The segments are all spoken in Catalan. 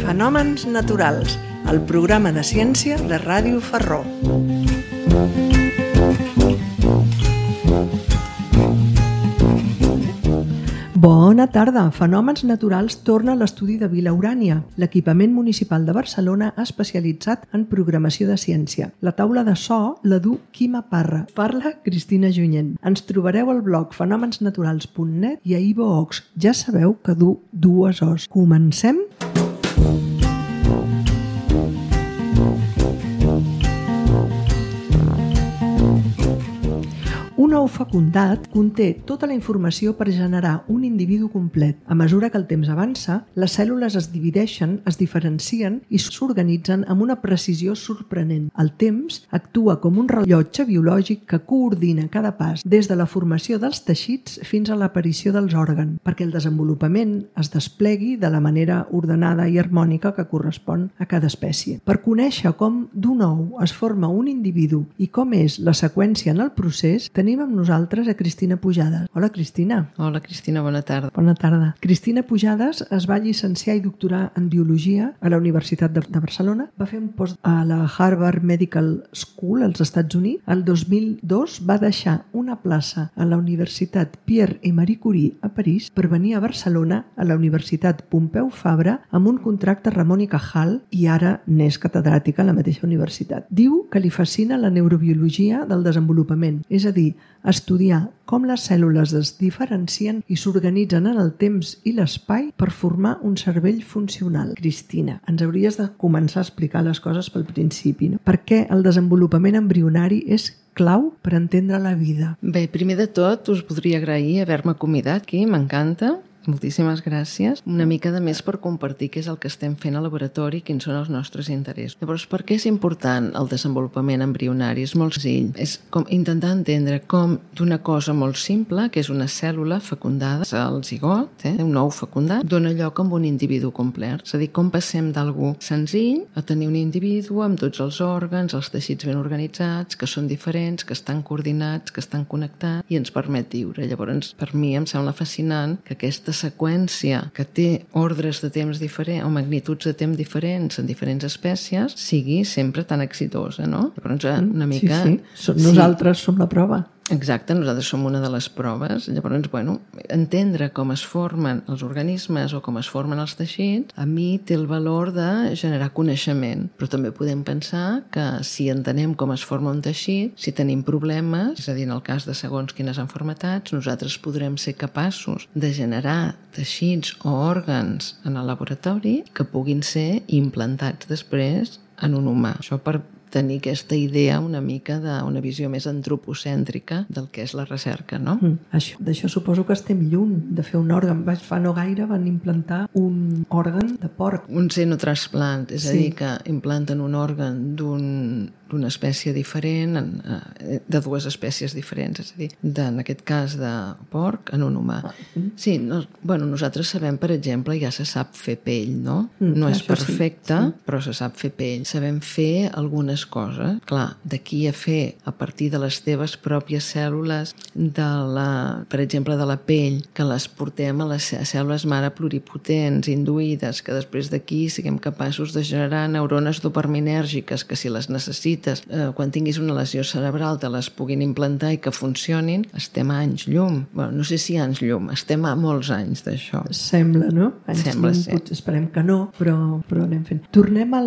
Fenòmens naturals, el programa de ciència de Ràdio Ferró. Bona tarda! Fenòmens naturals torna a l'estudi de Vila Urània, l'equipament municipal de Barcelona especialitzat en programació de ciència. La taula de so la du Quima Parra. Parla Cristina Junyent. Ens trobareu al blog fenomensnaturals.net i a iVoox. Ja sabeu que du dues O's. Comencem? Un ou fecundat conté tota la informació per generar un individu complet. A mesura que el temps avança, les cèl·lules es divideixen, es diferencien i s'organitzen amb una precisió sorprenent. El temps actua com un rellotge biològic que coordina cada pas des de la formació dels teixits fins a l'aparició dels òrgans, perquè el desenvolupament es desplegui de la manera ordenada i harmònica que correspon a cada espècie. Per conèixer com d'un ou es forma un individu i com és la seqüència en el procés, tenim amb nosaltres a Cristina Pujades. Hola, Cristina. Hola, Cristina, bona tarda. Bona tarda. Cristina Pujades es va llicenciar i doctorar en Biologia a la Universitat de Barcelona. Va fer un post a la Harvard Medical School als Estats Units. El 2002 va deixar una plaça a la Universitat Pierre i Marie Curie a París per venir a Barcelona a la Universitat Pompeu Fabra amb un contracte Ramon i Cajal i ara n'és catedràtica a la mateixa universitat. Diu que li fascina la neurobiologia del desenvolupament, és a dir, estudiar com les cèl·lules es diferencien i s'organitzen en el temps i l'espai per formar un cervell funcional. Cristina, ens hauries de començar a explicar les coses pel principi, no? Per què el desenvolupament embrionari és clau per entendre la vida? Bé, primer de tot us podria agrair haver-me convidat aquí, m'encanta. Moltíssimes gràcies. Una mica de més per compartir què és el que estem fent al laboratori i quins són els nostres interessos. Llavors, per què és important el desenvolupament embrionari? És molt senzill. És com intentar entendre com d'una cosa molt simple, que és una cèl·lula fecundada, el zigot, un ou fecundat, dona lloc amb un individu complet. És a dir, com passem d'algú senzill a tenir un individu amb tots els òrgans, els teixits ben organitzats, que són diferents, que estan coordinats, que estan connectats i ens permet viure. Llavors, per mi em sembla fascinant que aquesta seqüència que té ordres de temps diferents o magnituds de temps diferents en diferents espècies sigui sempre tan exitosa, no? Llavors, una mica... Sí. Nosaltres som la prova. Exacte, nosaltres som una de les proves. Llavors, entendre com es formen els organismes o com es formen els teixits, a mi té el valor de generar coneixement. Però també podem pensar que si entenem com es forma un teixit, si tenim problemes, és a dir, en el cas de segons quines enfermetats, nosaltres podrem ser capaços de generar teixits o òrgans en el laboratori que puguin ser implantats després en un humà. Això per tenir aquesta idea una mica d'una visió més antropocèntrica del que és la recerca, no? D'això suposo que estem lluny de fer un òrgan. Fa no gaire van implantar un òrgan de porc. Un xenotrasplant, és a dir, que implanten un òrgan d'una espècie diferent, de dues espècies diferents, és a dir, en aquest cas de porc en un humà. Sí, nosaltres sabem, per exemple, ja se sap fer pell, no? No és perfecte, però se sap fer pell. Sabem fer algunes coses. Clar, d'aquí a fer, a partir de les teves pròpies cèl·lules, per exemple, de la pell, que les portem a les cèl·lules mare pluripotents, induïdes, que després d'aquí siguem capaços de generar neurones dopaminèrgiques, que si les necessites, quan tinguis una lesió cerebral te les puguin implantar i que funcionin, estem a anys llum. No sé si anys llum, estem a molts anys d'això. Sembla, no? Sembla, sí. Esperem que no, però anem fent. Tornem a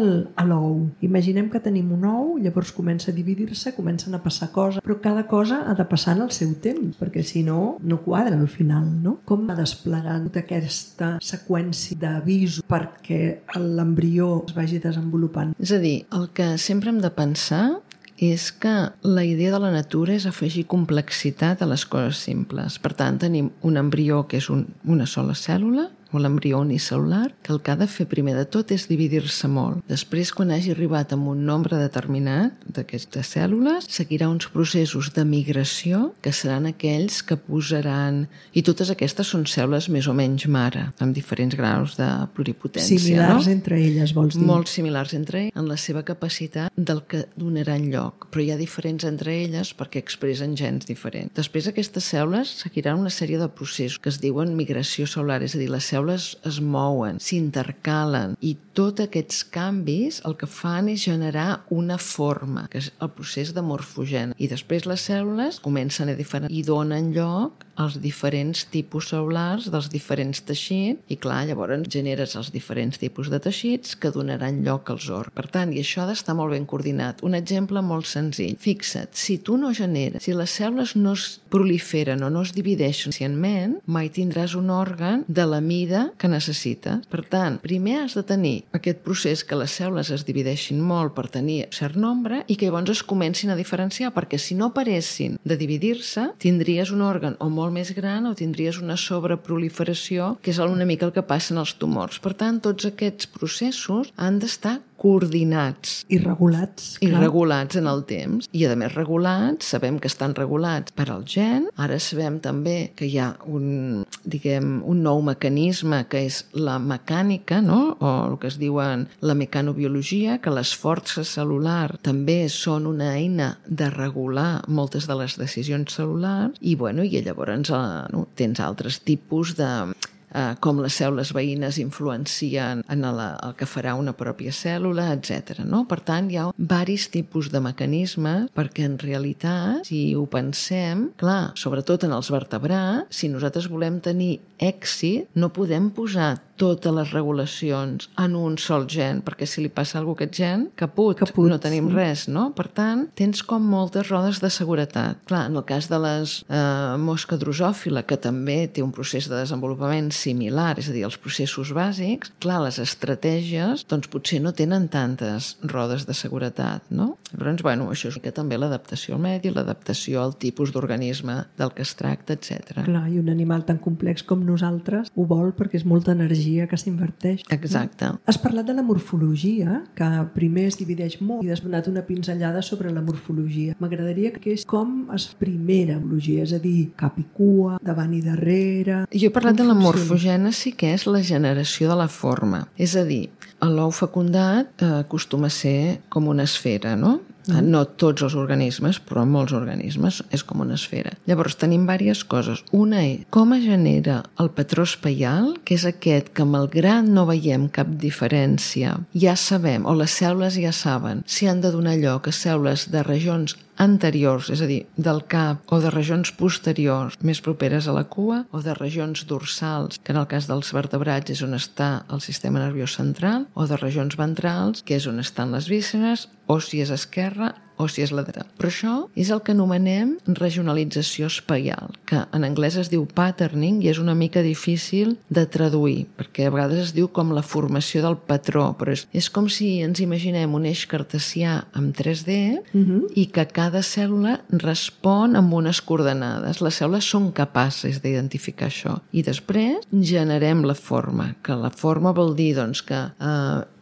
l'ou. Imaginem que tenim un ou, llavors comença a dividir-se, comencen a passar coses, però cada cosa ha de passar en el seu temps, perquè si no, no quadra al final, no? Com va desplegant tota aquesta seqüència d'avisos perquè l'embrió es vagi desenvolupant? És a dir, el que sempre hem de pensar és que la idea de la natura és afegir complexitat a les coses simples. Per tant, tenim un embrió que és una sola cèl·lula o l'embrió unicel·lular, que el que ha de fer primer de tot és dividir-se molt. Després, quan hagi arribat a un nombre determinat d'aquestes cèl·lules, seguirà uns processos de migració que seran aquells que posaran... I totes aquestes són cèl·lules més o menys mare, amb diferents graus de pluripotència. Similars entre elles, vols dir? Molt similars entre elles en la seva capacitat del que donaran lloc, però hi ha diferents entre elles perquè expressen gens diferents. Després aquestes cèl·lules seguiran una sèrie de processos que es diuen migració cel·lular, és a dir, les cèl·lules es mouen, s'intercalen i tots aquests canvis el que fan és generar una forma, que és el procés de morfogènesi. I després les cèl·lules comencen a diferenciar i donen lloc als diferents tipus cel·lulars dels diferents teixits i clar, llavors generes els diferents tipus de teixits que donaran lloc als òrgans. Per tant, i això ha d'estar molt ben coordinat. Un exemple molt senzill. Fixa't, si tu no generes, si les cèl·lules no es proliferen o no es divideixen suficientment, mai tindràs un òrgan de la mida que necessites. Per tant, primer has de tenir aquest procés que les cèl·lules es divideixin molt per tenir cert nombre i que llavors es comencin a diferenciar, perquè si no paressin de dividir-se, tindries un òrgan o molt més gran o tindries una sobreproliferació, que és una mica el que passa en els tumors. Per tant, tots aquests processos han d'estar coordinats. I regulats. I regulats en el temps. I, a més, regulats, sabem que estan regulats per al gen. Ara sabem també que hi ha un nou mecanisme que és la mecànica, no? O el que es diuen la mecanobiologia, que les forces cel·lulars també són una eina de regular moltes de les decisions cel·lulars i llavors tens altres tipus de com les cèl·lules veïnes influencien en el que farà una pròpia cèl·lula, etc. No? Per tant, hi ha diversos tipus de mecanismes perquè en realitat, si ho pensem, clar, sobretot en els vertebrats, si nosaltres volem tenir èxit, no podem posar totes les regulacions en un sol gen, perquè si li passa alguna cosa a aquest gen, caput, no tenim res, no? Per tant, tens com moltes rodes de seguretat. Clar, en el cas de les mosca drosòfila, que també té un procés de desenvolupament similar, és a dir, els processos bàsics, clar, les estratègies, doncs potser no tenen tantes rodes de seguretat, no? Llavors, això és que també l'adaptació al medi, l'adaptació al tipus d'organisme del que es tracta, etc. Clar, i un animal tan complex com nosaltres ho vol perquè és molta energia que s'inverteix. Exacte. No? Has parlat de la morfologia, que primer es divideix molt i has donat una pinzellada sobre la morfologia. M'agradaria que és com es primera morfologia, és a dir, cap i cua, davant i darrere... Jo he parlat de la morfogènesi, que és la generació de la forma. És a dir, l'ou fecundat acostuma a ser com una esfera, no? No tots els organismes, però molts organismes és com una esfera. Llavors tenim diverses coses. Una és com es genera el patró espaial, que és aquest que malgrat no veiem cap diferència, ja sabem, o les cèl·lules ja saben, si han de donar lloc a cèl·lules de regions anteriors, és a dir, del cap, o de regions posteriors més properes a la cua, o de regions dorsals, que en el cas dels vertebrats és on està el sistema nerviós central, o de regions ventrals, que és on estan les vísceres, o si és esquerra, o si és lateral. Però això és el que anomenem regionalització espaial, que en anglès es diu patterning i és una mica difícil de traduir, perquè a vegades es diu com la formació del patró, però és com si ens imaginem un eix cartesià amb 3D i que cada cèl·lula respon amb unes coordenades. Les cèl·lules són capaces d'identificar això. I després generem la forma, que la forma vol dir doncs, que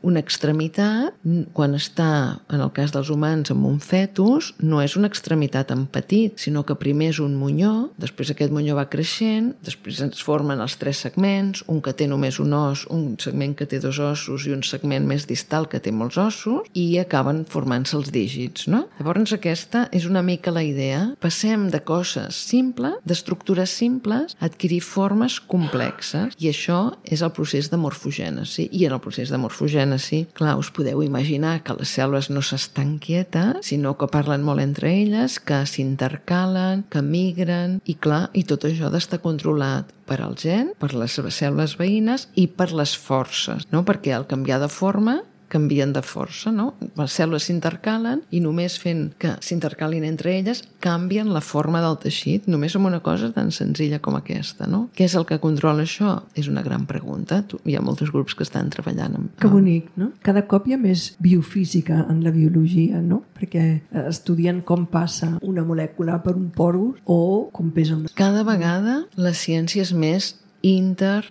una extremitat, quan està, en el cas dels humans, amb un fetus, no és una extremitat en petit, sinó que primer és un monyó, després aquest monyó va creixent, després es formen els 3 segments, un que té només un os, un segment que té 2 ossos i un segment més distal que té molts ossos, i acaben formant-se els dígits, no? Llavors aquesta és una mica la idea. Passem de coses simples, d'estructures simples, a adquirir formes complexes, i això és el procés de morfogènesi. I en el procés de morfogènesi, clar, us podeu imaginar que les cèl·lules no s'estan quietes, sinó que parlen molt entre elles, que s'intercalen, que migren, i clar, i tot això ha d'estar controlat per al gen, per les cèl·lules veïnes i per les forces, no? Perquè al canviar de forma canvien de força, no? Les cèl·lules s'intercalen i només fent que s'intercalin entre elles canvien la forma del teixit, només amb una cosa tan senzilla com aquesta, no? Què és el que controla això? És una gran pregunta. Hi ha molts grups que estan treballant amb... Que bonic, no? Cada cop hi ha més biofísica en la biologia, no? Perquè estudien com passa una molècula per un porus o com pesa una... Cada vegada la ciència és més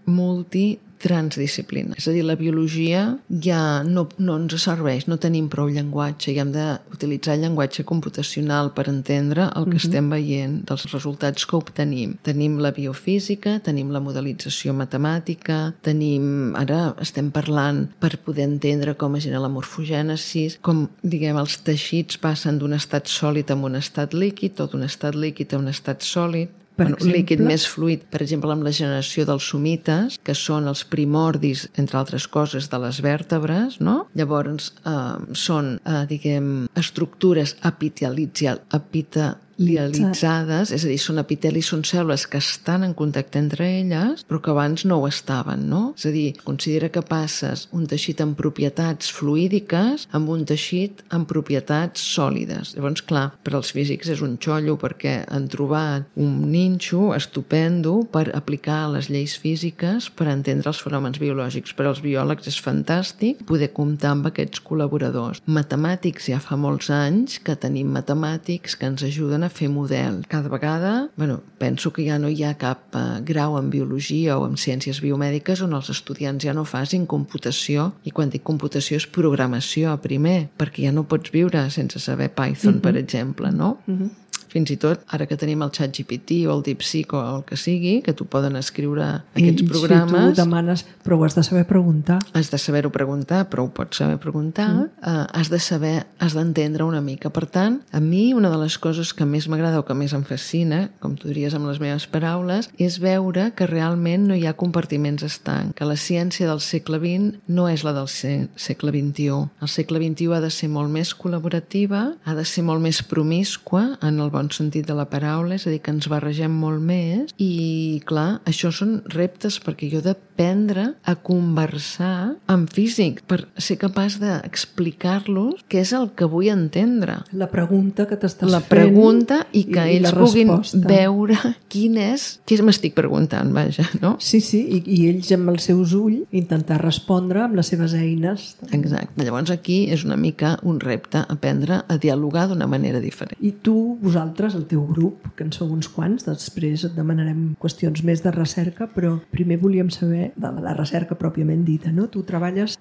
multi, transdisciplina. És a dir, la biologia ja no ens serveix, no tenim prou llenguatge i hem d'utilitzar el llenguatge computacional per entendre el que estem veient dels resultats que obtenim. Tenim la biofísica, tenim la modelització matemàtica, ara estem parlant per poder entendre com es genera la morfogènesi, com, diguem, els teixits passen d'un estat sòlid a un estat líquid o d'un estat líquid a un estat sòlid. Líquid més fluid, per exemple, amb la generació dels somites, que són els primordis, entre altres coses, de les vèrtebres, no? Llavors, són, diguem, estructures epitelialitzades, és a dir, són epitelis, són cèl·lules que estan en contacte entre elles, però que abans no ho estaven, no? És a dir, considera que passes un teixit amb propietats fluídiques amb un teixit amb propietats sòlides. Llavors, clar, per als físics és un xollo perquè han trobat un ninxo estupendo per aplicar les lleis físiques per entendre els fenòmens biològics. Per als biòlegs és fantàstic poder comptar amb aquests col·laboradors. Matemàtics, ja fa molts anys que tenim matemàtics que ens ajuden a fer model. Cada vegada, penso que ja no hi ha cap grau en biologia o en ciències biomèdiques on els estudiants ja no facin computació, i quan dic computació és programació primer, perquè ja no pots viure sense saber Python, per exemple, no? Fins i tot, ara que tenim el ChatGPT o el DeepSeek o el que sigui, que t'ho poden escriure aquests programes... Si tu demanes, però ho has de saber preguntar. Has de saber-ho preguntar, però ho pots saber preguntar. Has d'entendre una mica. Per tant, a mi una de les coses que més m'agrada o que més em fascina, com tu diries amb les meves paraules, és veure que realment no hi ha compartiments estancs, que la ciència del segle XX no és la del segle XXI. El segle XXI ha de ser molt més col·laborativa, ha de ser molt més promíscua en el bon sentit de la paraula, és a dir, que ens barregem molt més i, clar, això són reptes perquè jo he d'aprendre a conversar amb físics per ser capaç d'explicar-los què és el que vull entendre. La pregunta que t'estàs fent. La pregunta i que ells puguin veure què m'estic preguntant, vaja, no? Sí, i ells amb els seus ulls intentar respondre amb les seves eines. Exacte. Llavors aquí és una mica un repte aprendre a dialogar d'una manera diferent. I tu, vosaltres, el teu grup, que en sou uns quants, després et demanarem qüestions més de recerca, però primer volíem saber de la recerca pròpiament dita, no? Tu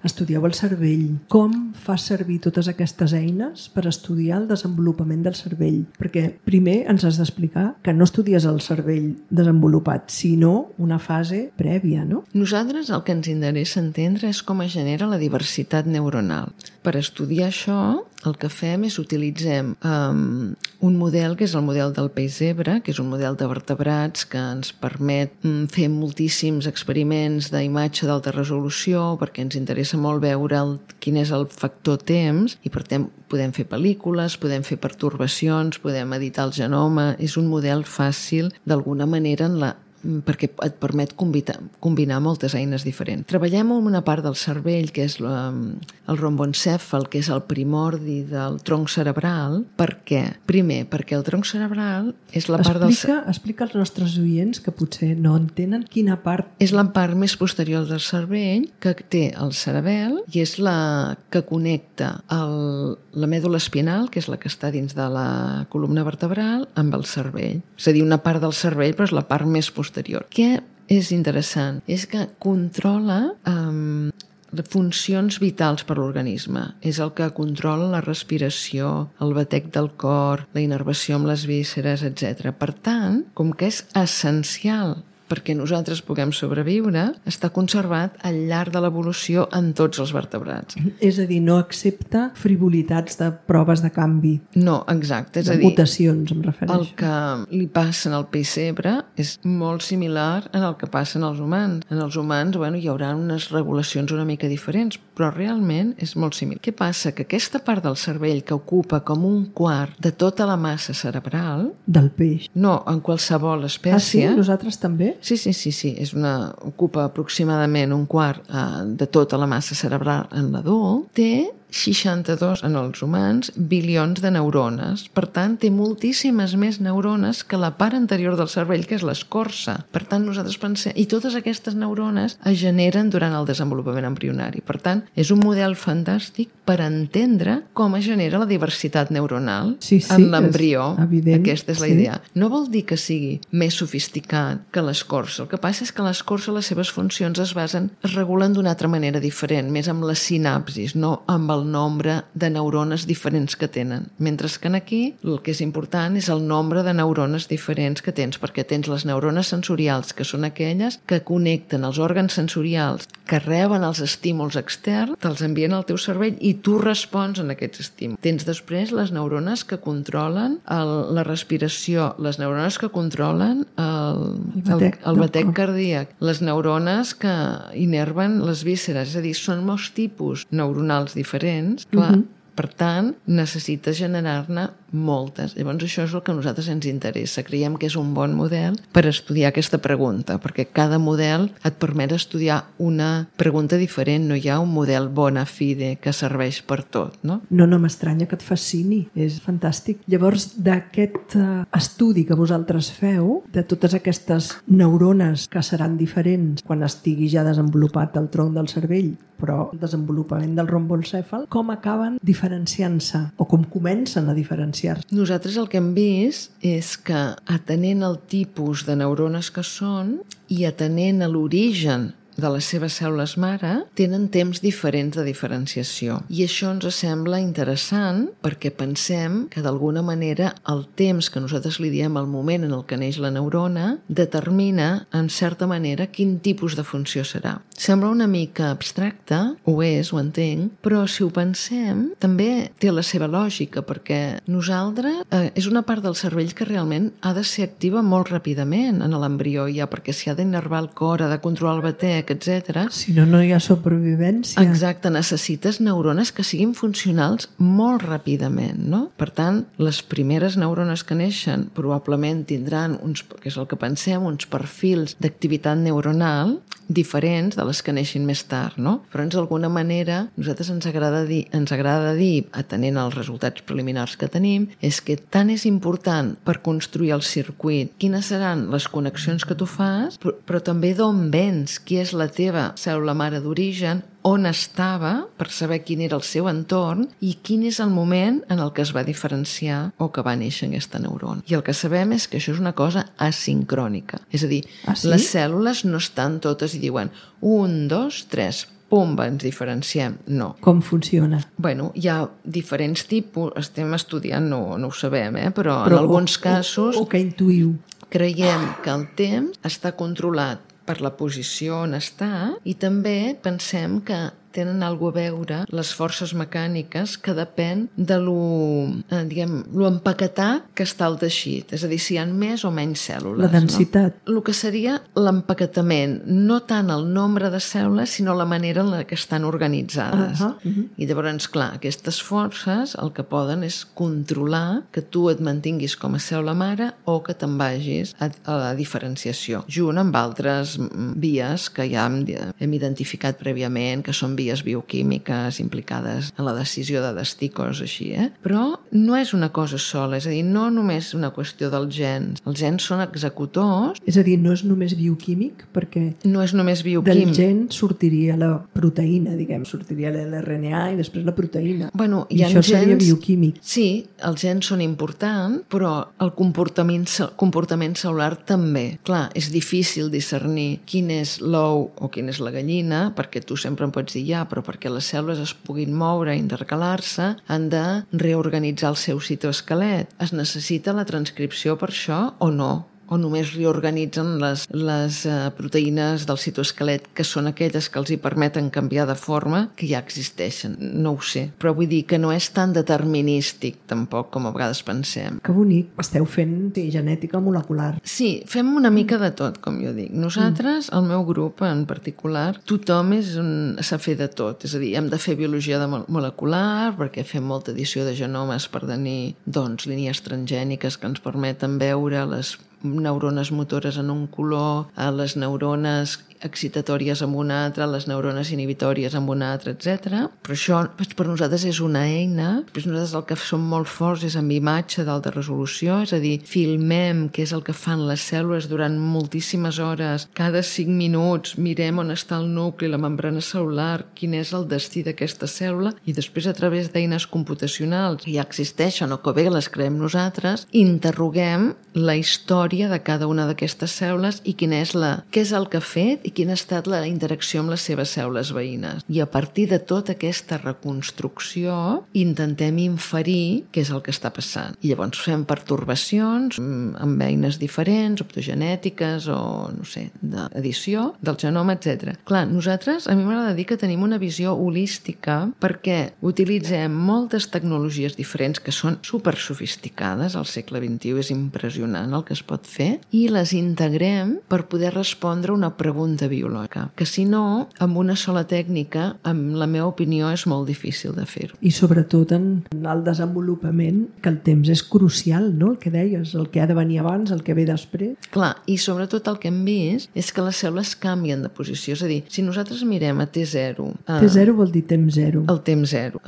estudieu el cervell. Com fas servir totes aquestes eines per estudiar el desenvolupament del cervell? Perquè primer ens has d'explicar que no estudies el cervell desenvolupat, sinó una fase prèvia, no? Nosaltres el que ens interessa entendre és com es genera la diversitat neuronal. Per estudiar això, el que fem és utilitzem un model que és el model del peix zebra, que és un model de vertebrats que ens permet fer moltíssims experiments d'imatge d'alta resolució perquè ens interessa molt veure quin és el factor temps i per tant podem fer pel·lícules, podem fer pertorbacions, podem editar el genoma. És un model fàcil d'alguna manera perquè et permet combinar moltes eines diferents. Treballem en una part del cervell que és el romboencèfal, que és el primordi del tronc cerebral. Per què? Primer, perquè el tronc cerebral és la part del... Explica als nostres oients que potser no entenen quina part... És la part més posterior del cervell que té el cerebel i és la que connecta la mèdula espinal, que és la que està dins de la columna vertebral, amb el cervell. És a dir, una part del cervell, però és la part més posterior. Què és interessant? És que controla funcions vitals per l'organisme. És el que controla la respiració, el batec del cor, la innervació amb les vísceres, etc. Per tant, com que és essencial perquè nosaltres puguem sobreviure, està conservat al llarg de l'evolució en tots els vertebrats. És a dir, no accepta frivolitats de proves de canvi. No, exacte. És a dir, mutacions, em refereixo. El que li passa al peix zebra és molt similar en el que passa en els humans. En els humans, hi haurà unes regulacions una mica diferents, però realment és molt similar. Què passa? Que aquesta part del cervell que ocupa com un quart de tota la massa cerebral... Del peix. No, en qualsevol espècie... Ah, sí? Nosaltres també? Sí. Ocupa aproximadament un quart de tota la massa cerebral en l'adult. Té 62 en els humans bilions de neurones. Per tant, té moltíssimes més neurones que la part anterior del cervell, que és l'escorça. Per tant, nosaltres pensem... I totes aquestes neurones es generen durant el desenvolupament embrionari. Per tant, és un model fantàstic per entendre com es genera la diversitat neuronal en l'embrió. Aquesta és la idea. No vol dir que sigui més sofisticat que l'escorça. El que passa és que l'escorça, les seves funcions es regulen d'una altra manera diferent, més amb les sinapsis, no amb el nombre de neurones diferents que tenen. Mentre que aquí el que és important és el nombre de neurones diferents que tens, perquè tens les neurones sensorials, que són aquelles que connecten els òrgans sensorials, que reben els estímuls externs, te'ls envien al teu cervell i tu respons en aquests estímuls. Tens després les neurones que controlen la respiració, les neurones que controlen el batec cardíac, les neurones que innerven les vísceres, és a dir, són molts tipus neuronals diferents, clar. Per tant, necessites generar-ne moltes. Llavors, això és el que a nosaltres ens interessa. Creiem que és un bon model per estudiar aquesta pregunta, perquè cada model et permet estudiar una pregunta diferent. No hi ha un model bona fide que serveix per tot, no? No m'estranya que et fascini. És fantàstic. Llavors, d'aquest estudi que vosaltres feu, de totes aquestes neurones que seran diferents quan estigui ja desenvolupat el tronc del cervell, però el desenvolupament del romboencèfal, com acaben diferenciant-se o com comencen a diferenciar-se? Nosaltres el que hem vist és que atenent el tipus de neurones que són i atenent a l'origen de les seves cèl·lules mare, tenen temps diferents de diferenciació. I això ens sembla interessant perquè pensem que d'alguna manera el temps que nosaltres li diem al moment en el que neix la neurona determina, en certa manera, quin tipus de funció serà. Sembla una mica abstracte, ho és, ho entenc, però si ho pensem també té la seva lògica, perquè nosaltres és una part del cervell que realment ha de ser activa molt ràpidament en l'embrió ja, perquè s'hi ha d'innervar el cor, ha de controlar el batec, etc. Si no, no hi ha supervivència. Exacte, necessites neurones que siguin funcionals molt ràpidament, no? Per tant, les primeres neurones que neixen probablement tindran, que és el que pensem, uns perfils d'activitat neuronal diferents de les que neixin més tard, no? Però d'alguna manera nosaltres ens agrada dir, atenent als resultats preliminars que tenim, és que tant és important per construir el circuit quines seran les connexions que tu fas, però també d'on vens, qui és la teva cèl·lula mare d'origen, on estava, per saber quin era el seu entorn i quin és el moment en el que es va diferenciar o que va néixer aquesta neurona. I el que sabem és que això és una cosa asincrònica. És a dir, les cèl·lules no estan totes i diuen 1, 2, 3, pumba, ens diferenciem. No. Com funciona? Bueno, hi ha diferents tipus, estem estudiant, no ho sabem, però en alguns casos... O que intuïu. Creiem que el temps està controlat per la posició on està i també pensem que tenen alguna a veure les forces mecàniques que depèn de lo empaquetat que està el teixit. És a dir, si hi ha més o menys cèl·lules. La densitat. No? El que seria l'empaquetament, no tant el nombre de cèl·lules, sinó la manera en la que estan organitzades. I llavors, clar, aquestes forces el que poden és controlar que tu et mantinguis com a cèl·lula mare o que te'n vagis a la diferenciació, junt amb altres vies que ja hem identificat prèviament, que són vies bioquímiques implicades en la decisió de destí, coses així, Però no és una cosa sola, és a dir, no només una qüestió dels gens. Els gens són executors. És a dir, no és només bioquímic, perquè no és només bioquímic. Del gen sortiria la proteïna, diguem, sortiria l'RNA i després la proteïna. Bueno, I això seria bioquímic. Sí, els gens són importants, però el comportament cel·lular també. Clar, és difícil discernir quin és l'ou o quina és la gallina, perquè tu sempre em pots dir però perquè les cèl·lules es puguin moure i intercalar-se, han de reorganitzar el seu citoesquelet. Es necessita la transcripció per això o no? O només reorganitzen les proteïnes del citoesquelet, que són aquelles que els hi permeten canviar de forma, que ja existeixen. No ho sé. Però vull dir que no és tan determinístic, tampoc, com a vegades pensem. Que bonic. Esteu fent genètica molecular. Sí, fem una mica de tot, com jo dic. Nosaltres, el meu grup en particular, tothom s'ha fet de tot. És a dir, hem de fer biologia molecular, perquè fem molta edició de genomes per tenir, línies transgèniques que ens permeten veure les neurones motores en un color, les neurones excitatòries amb una altra, les neurones inhibitòries amb una altra, etc. Però això per nosaltres és una eina. Després nosaltres el que som molt forts és amb imatge d'alta resolució, és a dir, filmem què és el que fan les cèl·lules durant moltíssimes hores. Cada 5 minuts mirem on està el nucli, la membrana cel·lular, quin és el destí d'aquesta cèl·lula, i després a través d'eines computacionals que ja existeixen o que bé les creem nosaltres, interroguem la història de cada una d'aquestes cèl·lules i què és el que ha fet i quina ha estat la interacció amb les seves cèl·lules veïnes. I a partir de tota aquesta reconstrucció intentem inferir què és el que està passant. I llavors fem pertorbacions amb eines diferents, optogenètiques o, no sé, d'edició del genoma, etc. Clar, nosaltres, a mi m'agrada dir que tenim una visió holística perquè utilitzem moltes tecnologies diferents que són super sofisticades, al segle XXI és impressionant el que es pot fer, i les integrem per poder respondre una pregunta biològica, que si no, amb una sola tècnica, amb la meva opinió, és molt difícil de fer-ho. I sobretot en el desenvolupament, que el temps és crucial, no? El que deies, el que ha de venir abans, el que ve després. Clar, i sobretot el que hem vist és que les cèl·lules canvien de posició, és a dir, si nosaltres mirem a T0... T0 vol dir temps zero. El temps zero.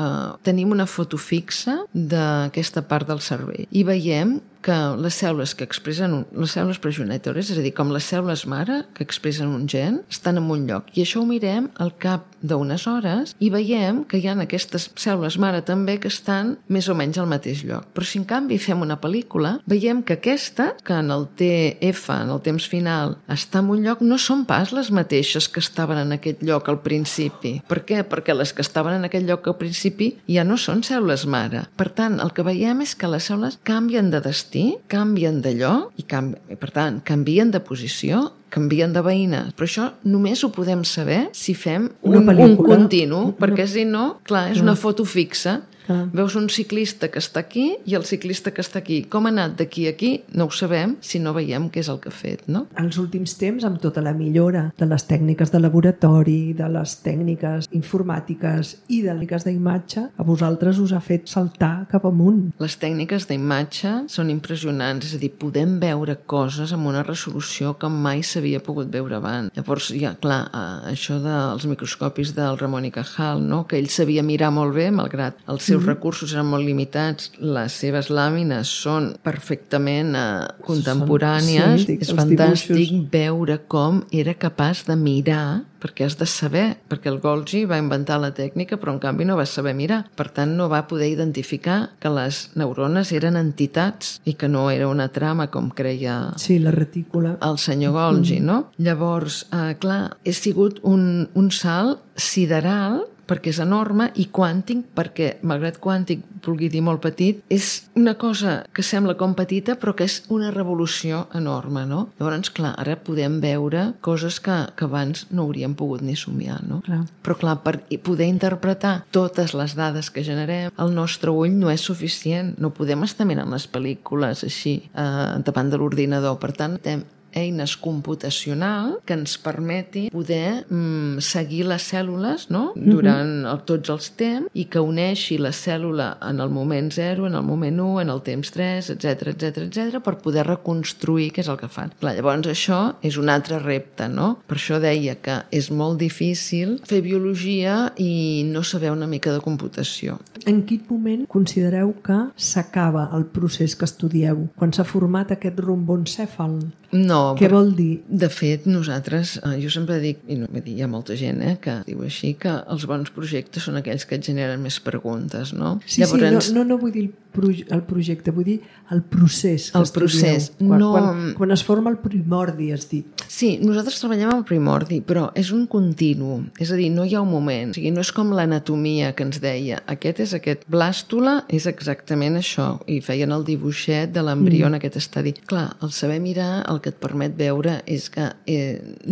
Tenim una foto fixa d'aquesta part del cervell i veiem que les cèl·lules que expressen les cèl·lules progenitores, és a dir, com les cèl·lules mare que expressen un gen, estan en un lloc. I això ho mirem al cap d'unes hores i veiem que hi ha aquestes cèl·lules mare també que estan més o menys al mateix lloc. Però si en canvi fem una pel·lícula, veiem que aquesta, que en el TF, en el temps final, està en un lloc, no són pas les mateixes que estaven en aquest lloc al principi. Per què? Perquè les que estaven en aquest lloc al principi ja no són cèl·lules mare. Per tant, el que veiem és que les cèl·lules canvien de destí, canvien de lloc i per tant canvien de posició, canvien de veïnes, però això només ho podem saber si fem un continu, perquè si no, clar, és una foto fixa. Veus un ciclista que està aquí i el ciclista que està aquí. Com ha anat d'aquí a aquí? No ho sabem si no veiem què és el que ha fet, no? Els últims temps, amb tota la millora de les tècniques de laboratori, de les tècniques informàtiques i de les tècniques d'imatge, a vosaltres us ha fet saltar cap amunt. Les tècniques d'imatge són impressionants, és a dir, podem veure coses amb una resolució que mai s'havia pogut veure abans. Llavors, ja, clar, això dels microscopis del Ramon i Cajal, no? Que ell sabia mirar molt bé, malgrat els seus recursos eren molt limitats, les seves làmines són perfectament contemporànies. Sí, és fantàstic veure com era capaç de mirar, perquè has de saber, perquè el Golgi va inventar la tècnica, però en canvi no va saber mirar. Per tant, no va poder identificar que les neurones eren entitats i que no era una trama, com creia la retícula, el senyor Golgi, no? Llavors, clar, he sigut un salt sideral, perquè és enorme, i quàntic, perquè, malgrat quàntic vulgui dir molt petit, és una cosa que sembla com petita, però que és una revolució enorme, no? Llavors, clar, ara podem veure coses que abans no hauríem pogut ni somiar, no? Clar. Però, clar, per poder interpretar totes les dades que generem, el nostre ull no és suficient. No podem estar mirant les pel·lícules així, davant de l'ordinador. Per tant, eines computacionals que ens permeti poder seguir les cèl·lules, no? Durant tots els temps, i que uneixi la cèl·lula en el moment 0, en el moment 1, en el temps 3, etc, per poder reconstruir què és el que fan. Clar, llavors això és un altre repte, no? Per això deia que és molt difícil fer biologia i no saber una mica de computació. En quin moment considereu que s'acaba el procés que estudieu? Quan s'ha format aquest romboencèfal? No. Què vol dir? De fet, nosaltres, jo sempre dic, i no, hi ha molta gent que diu així, que els bons projectes són aquells que et generen més preguntes, no? Sí, llavors, no vull dir el projecte, vull dir el procés que procés. Quan es forma el primordi, has dit. Sí, nosaltres treballem amb el primordi, però és un continu, és a dir, no hi ha un moment. O sigui, no és com l'anatomia que ens deia, aquest és aquest blàstula, és exactament això, i feien el dibuixet de l'embrió en aquest estadi. Clar, el saber mirar, el que et permet veure és que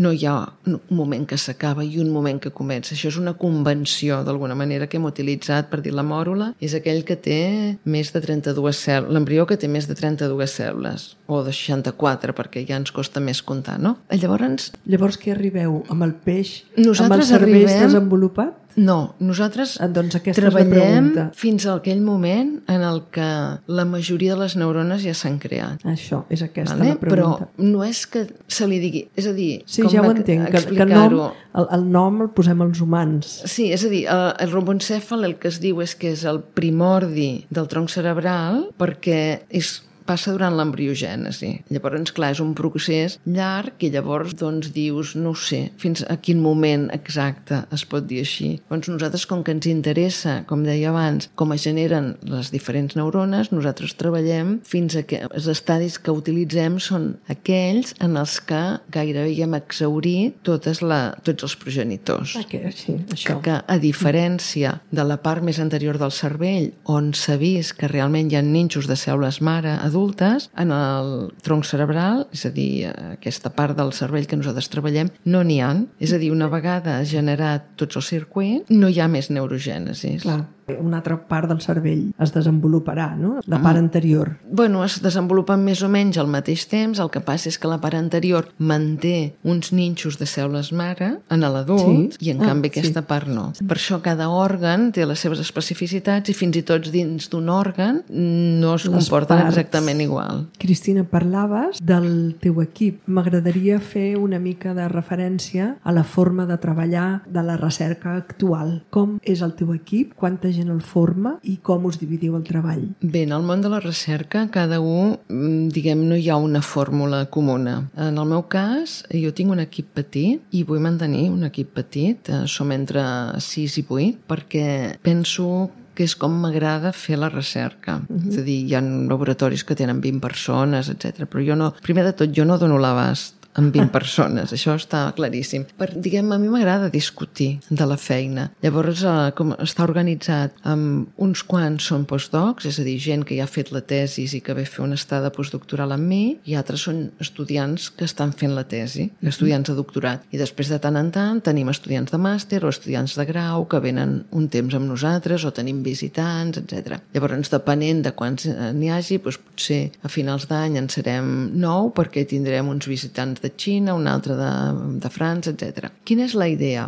no hi ha un moment que s'acaba i un moment que comença. Això és una convenció, d'alguna manera, que hem utilitzat per dir la mòrula. És aquell que té més de 32 cèl·lules, l'embrió que té més de 32 cèl·lules, o de 64, perquè ja ens costa més comptar, no? Llavors què arribeu? Amb el peix? Nosaltres amb el cervell desenvolupat? No, nosaltres Doncs aquesta és la treballem pregunta. fins a aquell moment en el que la majoria de les neurones ja s'han creat. Això, és aquesta Vale? la pregunta. Però no és que se li digui... És a dir, Sí, com ja ho entenc, que explicar-ho... el nom el posem als humans. Sí, és a dir, el romboencèfal el que es diu és que és el primordi del tronc cerebral perquè passa durant l'embriogènesi. Llavors, clar, és un procés llarg i llavors doncs dius, no ho sé, fins a quin moment exacte es pot dir així. Doncs nosaltres, com que ens interessa, com deia abans, com es generen les diferents neurones, nosaltres treballem fins a que els estadis que utilitzem són aquells en els que gairebé ja hem exhaurit tots els progenitors. Sí, això. Que a diferència de la part més anterior del cervell, on s'ha vist que realment hi ha nínxols de cèl·lules mare adultes, en el tronc cerebral, és a dir, aquesta part del cervell que nosaltres treballem, no n'hi ha. És a dir, una vegada generat tots els circuits, no hi ha més neurogènesi. Clar. Una altra part del cervell es desenvoluparà, no? La part anterior. Bueno, es desenvolupen més o menys al mateix temps, el que passa és que la part anterior manté uns nínxols de cèl·lules mare en l'adult i en canvi aquesta part no. Per això cada òrgan té les seves especificitats i fins i tot dins d'un òrgan no es comporten exactament igual. Cristina, parlaves del teu equip. M'agradaria fer una mica de referència a la forma de treballar de la recerca actual. Com és el teu equip? Quanta gent el forma i com us dividiu el treball? Bé, en el món de la recerca cada un, diguem, no hi ha una fórmula comuna. En el meu cas, jo tinc un equip petit i vull mantenir un equip petit, som entre 6 i 8, perquè penso que és com m'agrada fer la recerca. És a dir, hi ha laboratoris que tenen 20 persones, etc. Però jo no, primer de tot, jo no dono l'abast amb 20 persones, això està claríssim. Diguem, a mi m'agrada discutir de la feina. Llavors, com està organitzat, amb uns quants són postdocs, és a dir, gent que ja ha fet la tesi i que ve a fer una estada postdoctoral amb mi, i altres són estudiants que estan fent la tesi, estudiants de doctorat. I després, de tant en tant, tenim estudiants de màster o estudiants de grau que venen un temps amb nosaltres o tenim visitants, etc. Llavors, depenent de quants n'hi hagi, doncs potser a finals d'any en serem 9 perquè tindrem uns visitants de Xina, un altre de França, etc. Quina és la idea?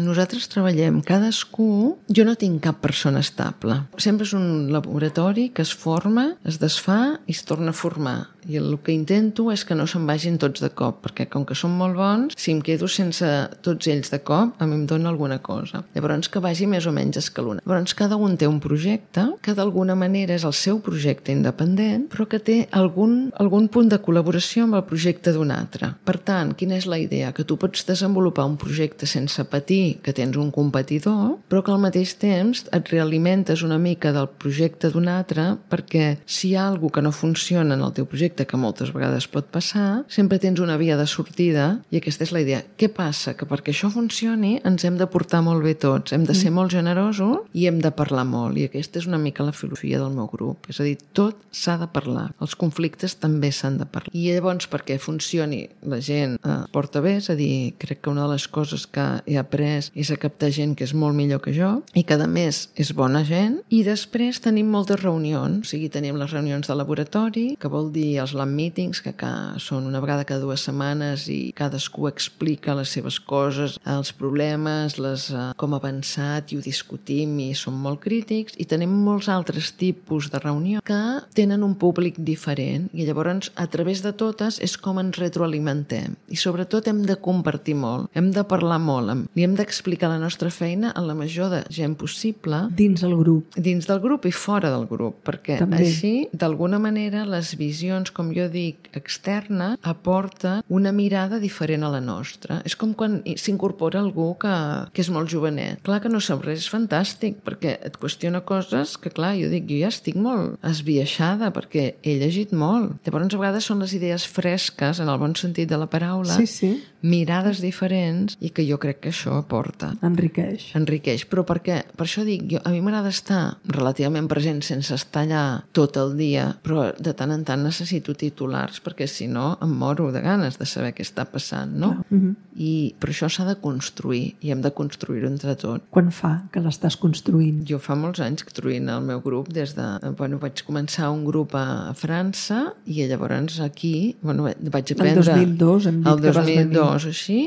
Nosaltres treballem cadascú... Jo no tinc cap persona estable. Sempre és un laboratori que es forma, es desfà i es torna a formar. I el que intento és que no se'n vagin tots de cop, perquè com que són molt bons, si em quedo sense tots ells de cop, a mi em dona alguna cosa. Llavors que vagi més o menys escalonat. Llavors cada un té un projecte que d'alguna manera és el seu projecte independent, però que té algun punt de col·laboració amb el projecte d'un altre. Per tant, quina és la idea? Que tu pots desenvolupar un projecte sense patir que tens un competidor, però que al mateix temps et realimentes una mica del projecte d'un altre, perquè si hi ha alguna cosa que no funciona en el teu projecte, que moltes vegades pot passar, sempre tens una via de sortida i aquesta és la idea. Què passa? Que perquè això funcioni ens hem de portar molt bé tots, hem de ser molt generosos i hem de parlar molt, i aquesta és una mica la filosofia del meu grup, és a dir, tot s'ha de parlar, els conflictes també s'han de parlar. I llavors perquè funcioni la gent porta bé, és a dir, crec que una de les coses que he après és a captar gent que és molt millor que jo i que a més és bona gent, i després tenim moltes reunions, o sigui, tenim les reunions de laboratori, que vol dir els lab meetings, que són una vegada cada 2 setmanes i cadascú explica les seves coses, els problemes, com ha avançat, i ho discutim i som molt crítics, i tenim molts altres tipus de reunió que tenen un públic diferent, i llavors a través de totes és com ens retroalimentem, i sobretot hem de compartir molt, hem de parlar molt, li hem d'explicar la nostra feina a la major de gent possible dins el grup. Dins del grup i fora del grup, perquè també. Així, d'alguna manera, les visions, com jo dic, externes, aporten una mirada diferent a la nostra. És com quan s'incorpora algú que és molt jovenet. Clar que no sap res, és fantàstic, perquè et qüestiona coses que, clar, jo dic, jo ja estic molt esbiaixada, perquè he llegit molt. Llavors, a vegades són les idees fresques, en el bon sentit de la paraula, mirades diferents, i que jo crec que això aporta. Enriqueix. Però per què? Per això dic, a mi m'agrada estar relativament present sense estar allà tot el dia, però de tant en tant necessito necessito titulars perquè si no em moro de ganes de saber què està passant, no? Però això s'ha de construir i hem de construir-ho entre tots. Quan fa que l'estàs construint? Jo fa molts anys construint el meu grup des de... vaig començar un grup a França i llavors aquí vaig aprendre... El 2002 hem dit que vas venir. El 2002, així,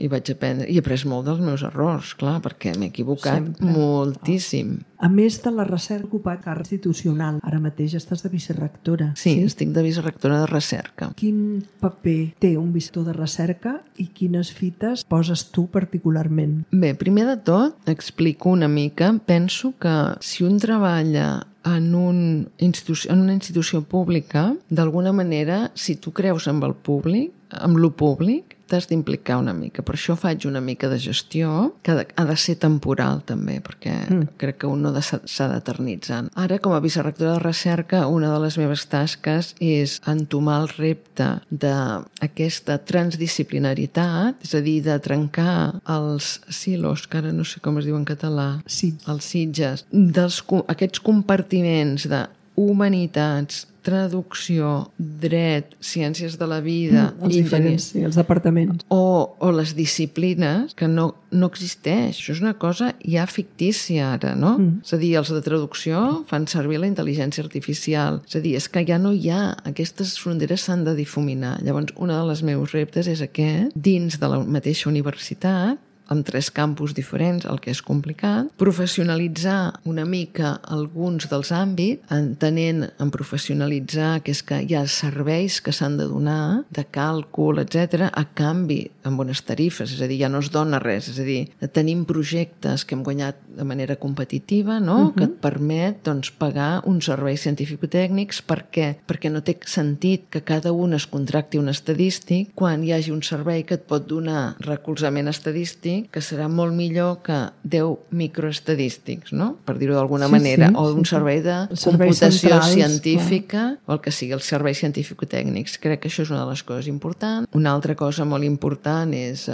i vaig aprendre. I he après molt dels meus errors, clar, perquè m'he equivocat moltíssim. A més de la recerca ocupat càrrec institucional, ara mateix estàs de vicerectora. Sí, estic de vicerectora de recerca. Quin paper té un vicerector de recerca i quines fites poses tu particularment? Bé, primer de tot, explico una mica. Penso que si un treballa en una institució pública, d'alguna manera, si tu creus amb el públic, amb lo públic, t'has d'implicar una mica. Per això faig una mica de gestió, que ha de ser temporal també, perquè crec que un no s'ha d'eternitzar. Ara, com a vicerectora de recerca, una de les meves tasques és entomar el repte d'aquesta transdisciplinaritat, és a dir, de trencar els silos, que ara no sé com es diu en català, els sitges, aquests compartiments de humanitats, traducció, dret, ciències de la vida, els departaments. O les disciplines, que no existeix. Això és una cosa ja fictícia ara, no? És a dir, els de traducció fan servir la intel·ligència artificial. És a dir, és que ja no hi ha... Aquestes fronteres s'han de difuminar. Llavors, una de les meus reptes és aquest, dins de la mateixa universitat, amb 3 campus diferents, el que és complicat, professionalitzar una mica alguns dels àmbits, entenent en professionalitzar que és que hi ha serveis que s'han de donar, de càlcul, etc, a canvi amb unes tarifes, és a dir, ja no es dona res, és a dir, tenim projectes que hem guanyat de manera competitiva, no? Que et permet pagar uns serveis científico-tècnics. Per què? Perquè no té sentit que cada un es contracti un estadístic quan hi hagi un servei que et pot donar recolzament estadístic que serà molt millor que 10 microestadístics, no? Per dir-ho d'alguna manera, o un servei de computació científica, o el que sigui, els serveis científico-tècnics. Crec que això és una de les coses importants. Una altra cosa molt important és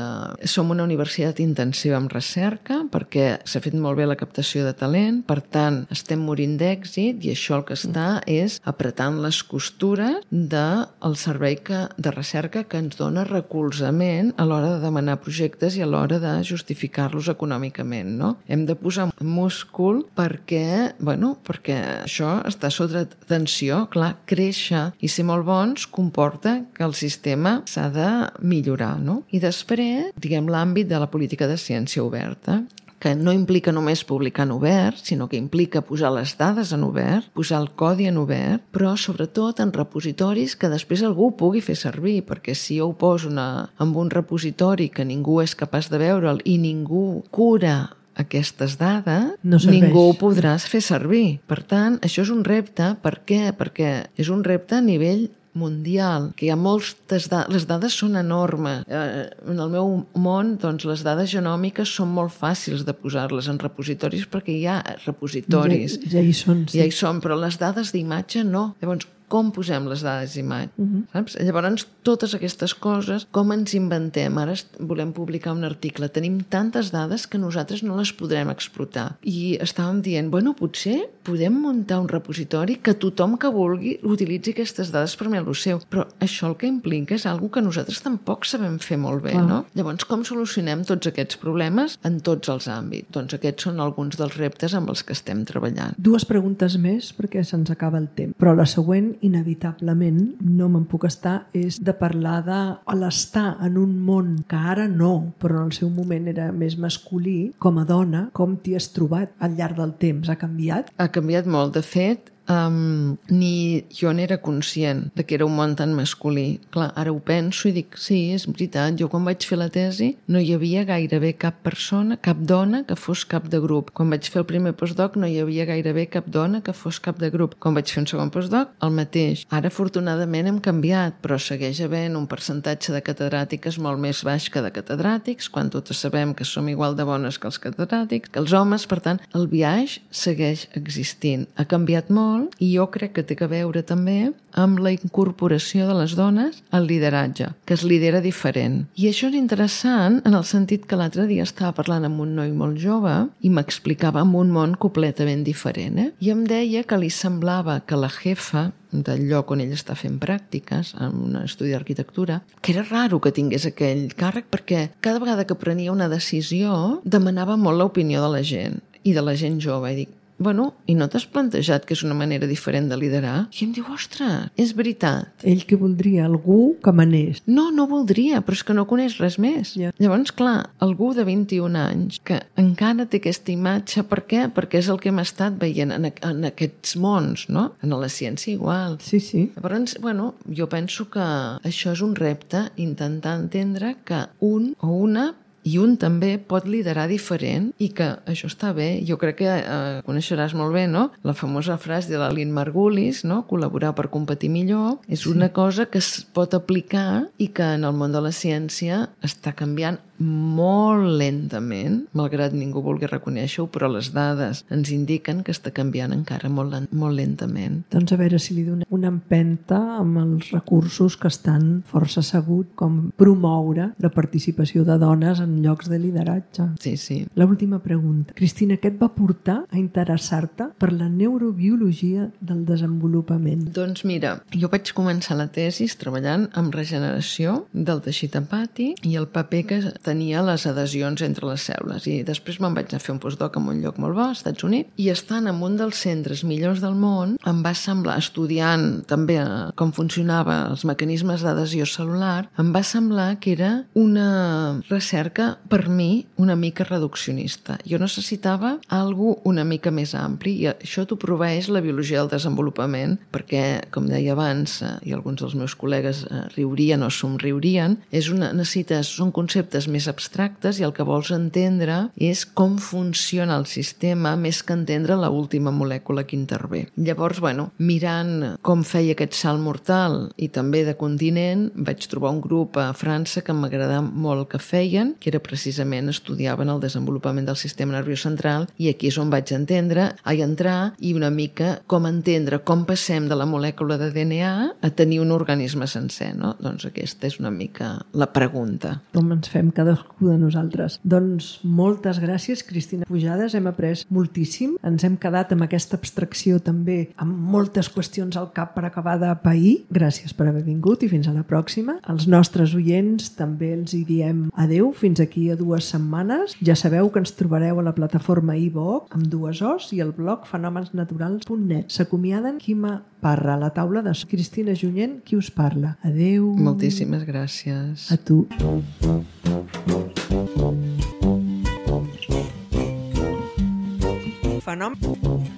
som una universitat intensiva en recerca perquè s'ha fet molt bé la captació de talent, per tant, estem morint d'èxit i això el que està és apretant les costures del servei de recerca que ens dona recolzament a l'hora de demanar projectes i a l'hora de justificar-los econòmicament, no? Hem de posar múscul perquè això està sota tensió. Clar, créixer i ser molt bons comporta que el sistema s'ha de millorar, no? I després, l'àmbit de la política de ciència oberta, que no implica només publicar en obert, sinó que implica posar les dades en obert, posar el codi en obert, però sobretot en repositoris que després algú pugui fer servir, perquè si jo ho poso en un repositori que ningú és capaç de veure'l i ningú cura aquestes dades, ningú ho podrà fer servir. Per tant, això és un repte. Per què? Perquè és un repte a nivell mundial, que hi ha moltes dades, les dades són enormes. En el meu món, les dades genòmiques són molt fàcils de posar-les en repositoris perquè hi ha repositoris. Ja hi són, sí. Ja hi són, però les dades d'imatge no. Llavors, com posem les dades d'imatge? Saps? Llavors, totes aquestes coses, com ens inventem? Ara volem publicar un article. Tenim tantes dades que nosaltres no les podrem explotar. I estàvem dient, potser podem muntar un repositori que tothom que vulgui utilitzi aquestes dades per mi el seu. Però això el que implica és algo que nosaltres tampoc sabem fer molt bé, no? Llavors, com solucionem tots aquests problemes en tots els àmbits? Doncs aquests són alguns dels reptes amb els que estem treballant. 2 preguntes més perquè se'ns acaba el temps. Però la següent, inevitablement, no me'n puc estar, és de parlar de l'estar en un món que ara no, però en el seu moment era més masculí, com a dona, com t'hi has trobat al llarg del temps? Ha canviat? Ha canviat molt. De fet, ni jo n'era conscient de que era un món tan masculí. Clar, ara ho penso i dic, sí, és veritat, jo quan vaig fer la tesi no hi havia gairebé cap persona, cap dona que fos cap de grup. Quan vaig fer el primer postdoc no hi havia gairebé cap dona que fos cap de grup. Quan vaig fer un segon postdoc, el mateix. Ara, afortunadament, hem canviat, però segueix havent un percentatge de catedràtiques molt més baix que de catedràtics, quan totes sabem que som igual de bones que els catedràtics, que els homes. Per tant, el biaix segueix existint. Ha canviat molt, molt i jo crec que té a veure també amb la incorporació de les dones al lideratge, que es lidera diferent. I això és interessant en el sentit que l'altre dia estava parlant amb un noi molt jove i m'explicava en un món completament diferent. I em deia que li semblava que la jefa del lloc on ell està fent pràctiques, en un estudi d'arquitectura, que era raro que tingués aquell càrrec perquè cada vegada que prenia una decisió demanava molt l'opinió de la gent i de la gent jove. I dic, bueno, i no t'has plantejat que és una manera diferent de liderar? I em diu, ostres, és veritat. Ell que voldria algú que manés. No voldria, però és que no coneix res més. Ja. Llavors, clar, algú de 21 anys que encara té aquesta imatge, per què? Perquè és el que hem estat veient en aquests mons, no? En la ciència igual. Sí, sí. Llavors, bueno, jo penso que això és un repte, intentar entendre que un o una i un també pot liderar diferent i que això està bé. Jo crec que coneixeràs molt bé, no? La famosa frase de la Lynn Margulis, no? Col·laborar per competir millor, és una cosa que es pot aplicar i que en el món de la ciència està canviant molt lentament, malgrat ningú vulgui reconèixer-ho, però les dades ens indiquen que està canviant encara molt lentament. Doncs a veure si li donem una empenta amb els recursos que estan força asseguts, com promoure la participació de dones en llocs de lideratge. Sí, sí. L'última pregunta. Cristina, què et va portar a interessar-te per la neurobiologia del desenvolupament? Doncs mira, jo vaig començar la tesi treballant amb regeneració del teixit hepàtic i el paper que tenia les adhesions entre les cèl·lules. I després me'n vaig anar a fer un postdoc en un lloc molt bo, als Estats Units, i estant en un dels centres millors del món, em va semblar, estudiant també com funcionava els mecanismes d'adhesió cel·lular, em va semblar que era una recerca, per mi, una mica reduccionista. Jo necessitava algo una mica més ampli, i això t'ho proveeix la biologia del desenvolupament, perquè, com deia abans, i alguns dels meus col·legues riurien o somriurien, són conceptes més abstractes i el que vols entendre és com funciona el sistema més que entendre l'última molècula que intervé. Llavors, bueno, mirant com feia aquest salt mortal i també de continent, vaig trobar un grup a França que m'agradava molt el que feien, que era precisament estudiaven el desenvolupament del sistema nerviós central, i aquí és on vaig entrar i una mica com entendre com passem de la molècula de DNA a tenir un organisme sencer, no? Doncs aquesta és una mica la pregunta. Com ens fem cadascú de nosaltres. Doncs moltes gràcies, Cristina Pujades, hem après moltíssim, ens hem quedat amb aquesta abstracció també, amb moltes qüestions al cap per acabar de pair. Gràcies per haver vingut i fins a la pròxima. Els nostres oients també els hi diem adeu, fins aquí a 2 setmanes. Ja sabeu que ens trobareu a la plataforma iVox amb 2 O's i el blog fenomensnaturals.net. S'acomiaden Quima Parra, a la taula de Cristina Junyent, qui us parla. Adeu. Moltíssimes gràcies. A tu. Fenomen.